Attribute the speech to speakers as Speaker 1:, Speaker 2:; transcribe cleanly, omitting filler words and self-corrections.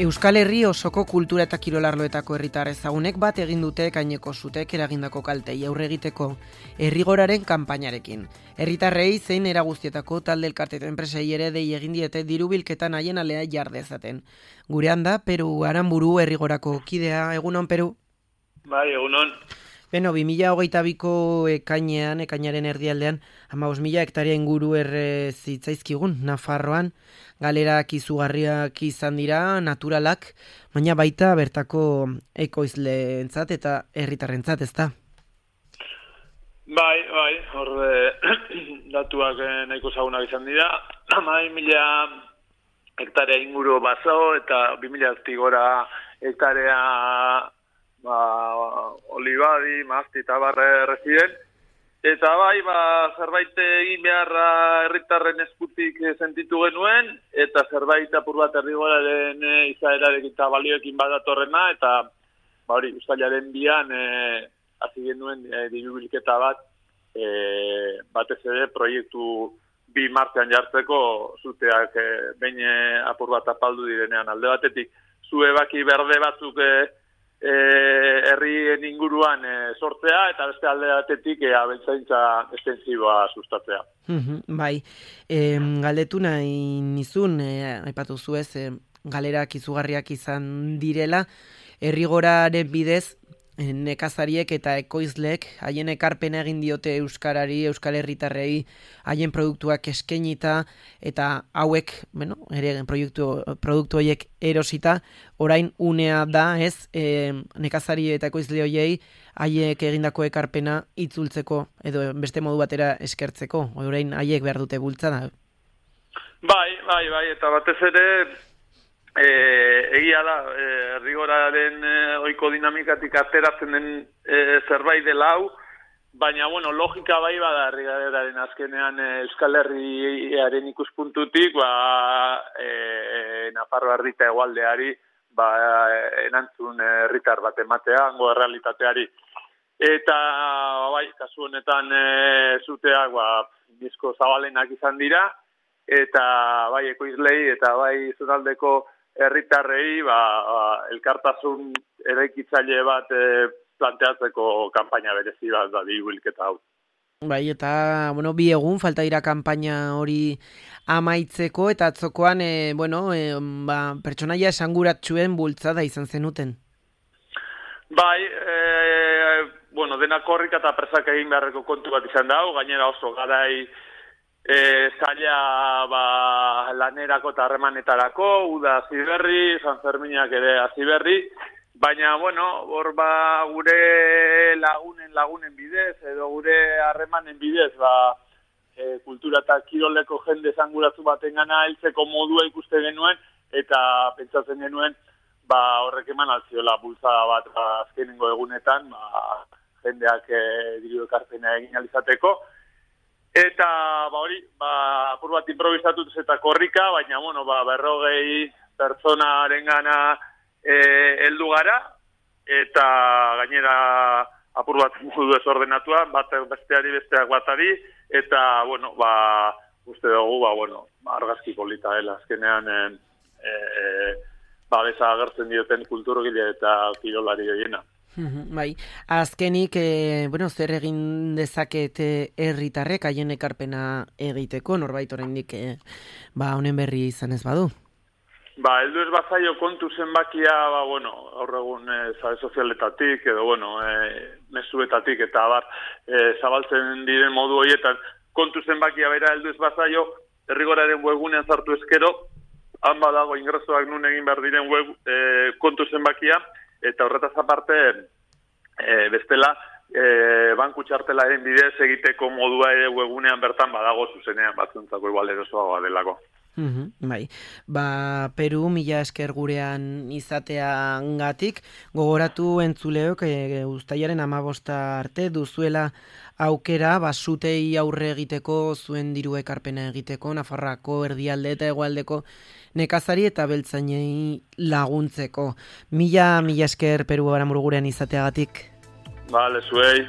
Speaker 1: Euskal Herri osoko kultura eta kirolarloetako herritar ezagunek bat egin dute Ekaineko sutek eragindako kaltei aurre egiteko herrigoraren kanpainarekin. Herritarrei zein era guztietako talde elkarte eta enpresei ere dei egin diete diru bilketan haien alea jar dezaten. Gurean da Peru Aranburu herrigorako kidea. Egunon, Peru?
Speaker 2: Bai, egunon.
Speaker 1: Beno, 2022ko ekainaren erdialdean, 15.000 hektaria inguru zitzaizkigun Nafarroan, galerak izugarriak izan dira, naturalak, baina baita bertako ekoizleentzat eta herritarrentzat, ezta?
Speaker 2: Bai, hor datuak nahiko ezagunak izan dira. 15.000 hektarea inguru baso eta 2.000 gora hektarea olibadi, mazti eta barre erreziren. Eta bai, zerbait egin beharra herritarren eskutik sentitu genuen, eta zerbait apur bat herrigoraren izaerarekin eta balioekin badatorrena, eta uztailaren 2an hasi genuen diru bilketa bat, batez ere proiektu 2 martxan jartzeko zuteak behin apur bat apaldu direnean. Alde batetik, zu ebaki berde batzuk herrien inguruan sortzea, eta beste alde batetik abeltzaintza estensiboa sustatzea.
Speaker 1: Bai, galdetu nahi nizun, aipatu zuez, galerak izugarriak izan direla, herrigoraren bidez, nekazariek eta ekoizleek haien ekarpena egin diote euskarari, euskal herritarrei, haien produktuak eskainita eta hauek, ere produktu horiek erosita, orain unea da, ez, nekazari eta ekoizle horiei haiek egindako ekarpena itzultzeko edo beste modu batera eskertzeko, orain haiek behar dute bultzada.
Speaker 2: Bai, eta batez ere egia da, herrigoraren ohiko dinamikatik ateratzen den zerbait dela hau, baina, logika bai bada herrigoraren azkenean Euskal Herriaren ikuspuntutik, Nafarroa erdita hegoaldeari, erantzun herritar bat ematea, hango errealitateari. Eta, kasu honetan zuteak, bizko zabalenak izan dira, eta bai ekoizlei eta bai zonaldeko herritarrei elkartasun eraikitzaile bat planteatzeko kanpaina berezi bat da diru bilketa hau.
Speaker 1: Bai, eta, 2 egun falta dira kanpaina hori amaitzeko, eta atzokoan, pertsonaia esanguratsuen bultzada izan zenuten.
Speaker 2: Bai, denak korrika eta presak egin beharreko kontu bat izan da, gainera oso garai zaila lanerako eta harremanetarako, uda hasi berri, San Ferminak ere hasi berri, baina, hor gure lagunen bidez, edo gure harremanen bidez, kultura eta kiroleko jende esanguratu baten gana heltzeko modua ikuste genuen, eta pentsatzen genuen, horrek eman altziola bultzada bat azkenengo egunetan, jendeak diru ekarpena egin alizateko. Eta, apur bat improvisatuz eta korrika, baina, 40 pertsonaren gana heldu gara, eta gainera apur bat modu desordenatua, besteak batari, eta, uste dugu, argazki polita dela, azkenean, beza agertzen dioten kulturgile eta kirolari horiena.
Speaker 1: Bai, azkenik, zer egin dezakete herritarrek haien ekarpena egiteko, norbait oraindik honen berri izan ez badu?
Speaker 2: Heldu ez bazaio kontu zenbakia, gaur egun sare sozialetatik, edo, mezuetatik, eta zabaltzen diren modu horietan, kontu zenbakia bera heldu ez bazaio, herrigoraren webgunean sartu ezkero, han badago ingresoak nun egin behar diren kontu zenbakia, eta horretaz aparte, bestela, banku txartelaren bidez egiteko modua ere webgunean bertan badago zuzenean batzuntzako igual erosoagoa delako.
Speaker 1: Bai, Peru, mila esker gurean izateangatik, gogoratu entzuleok uztailaren 15 arte duzuela aukera zutei aurre egiteko, zuen diru ekarpena egiteko, Nafarroako erdialde eta hegoaldeko nekazari eta beltzainei laguntzeko. Mila esker Peru Aranburu gurean izateagatik.
Speaker 2: Zuei.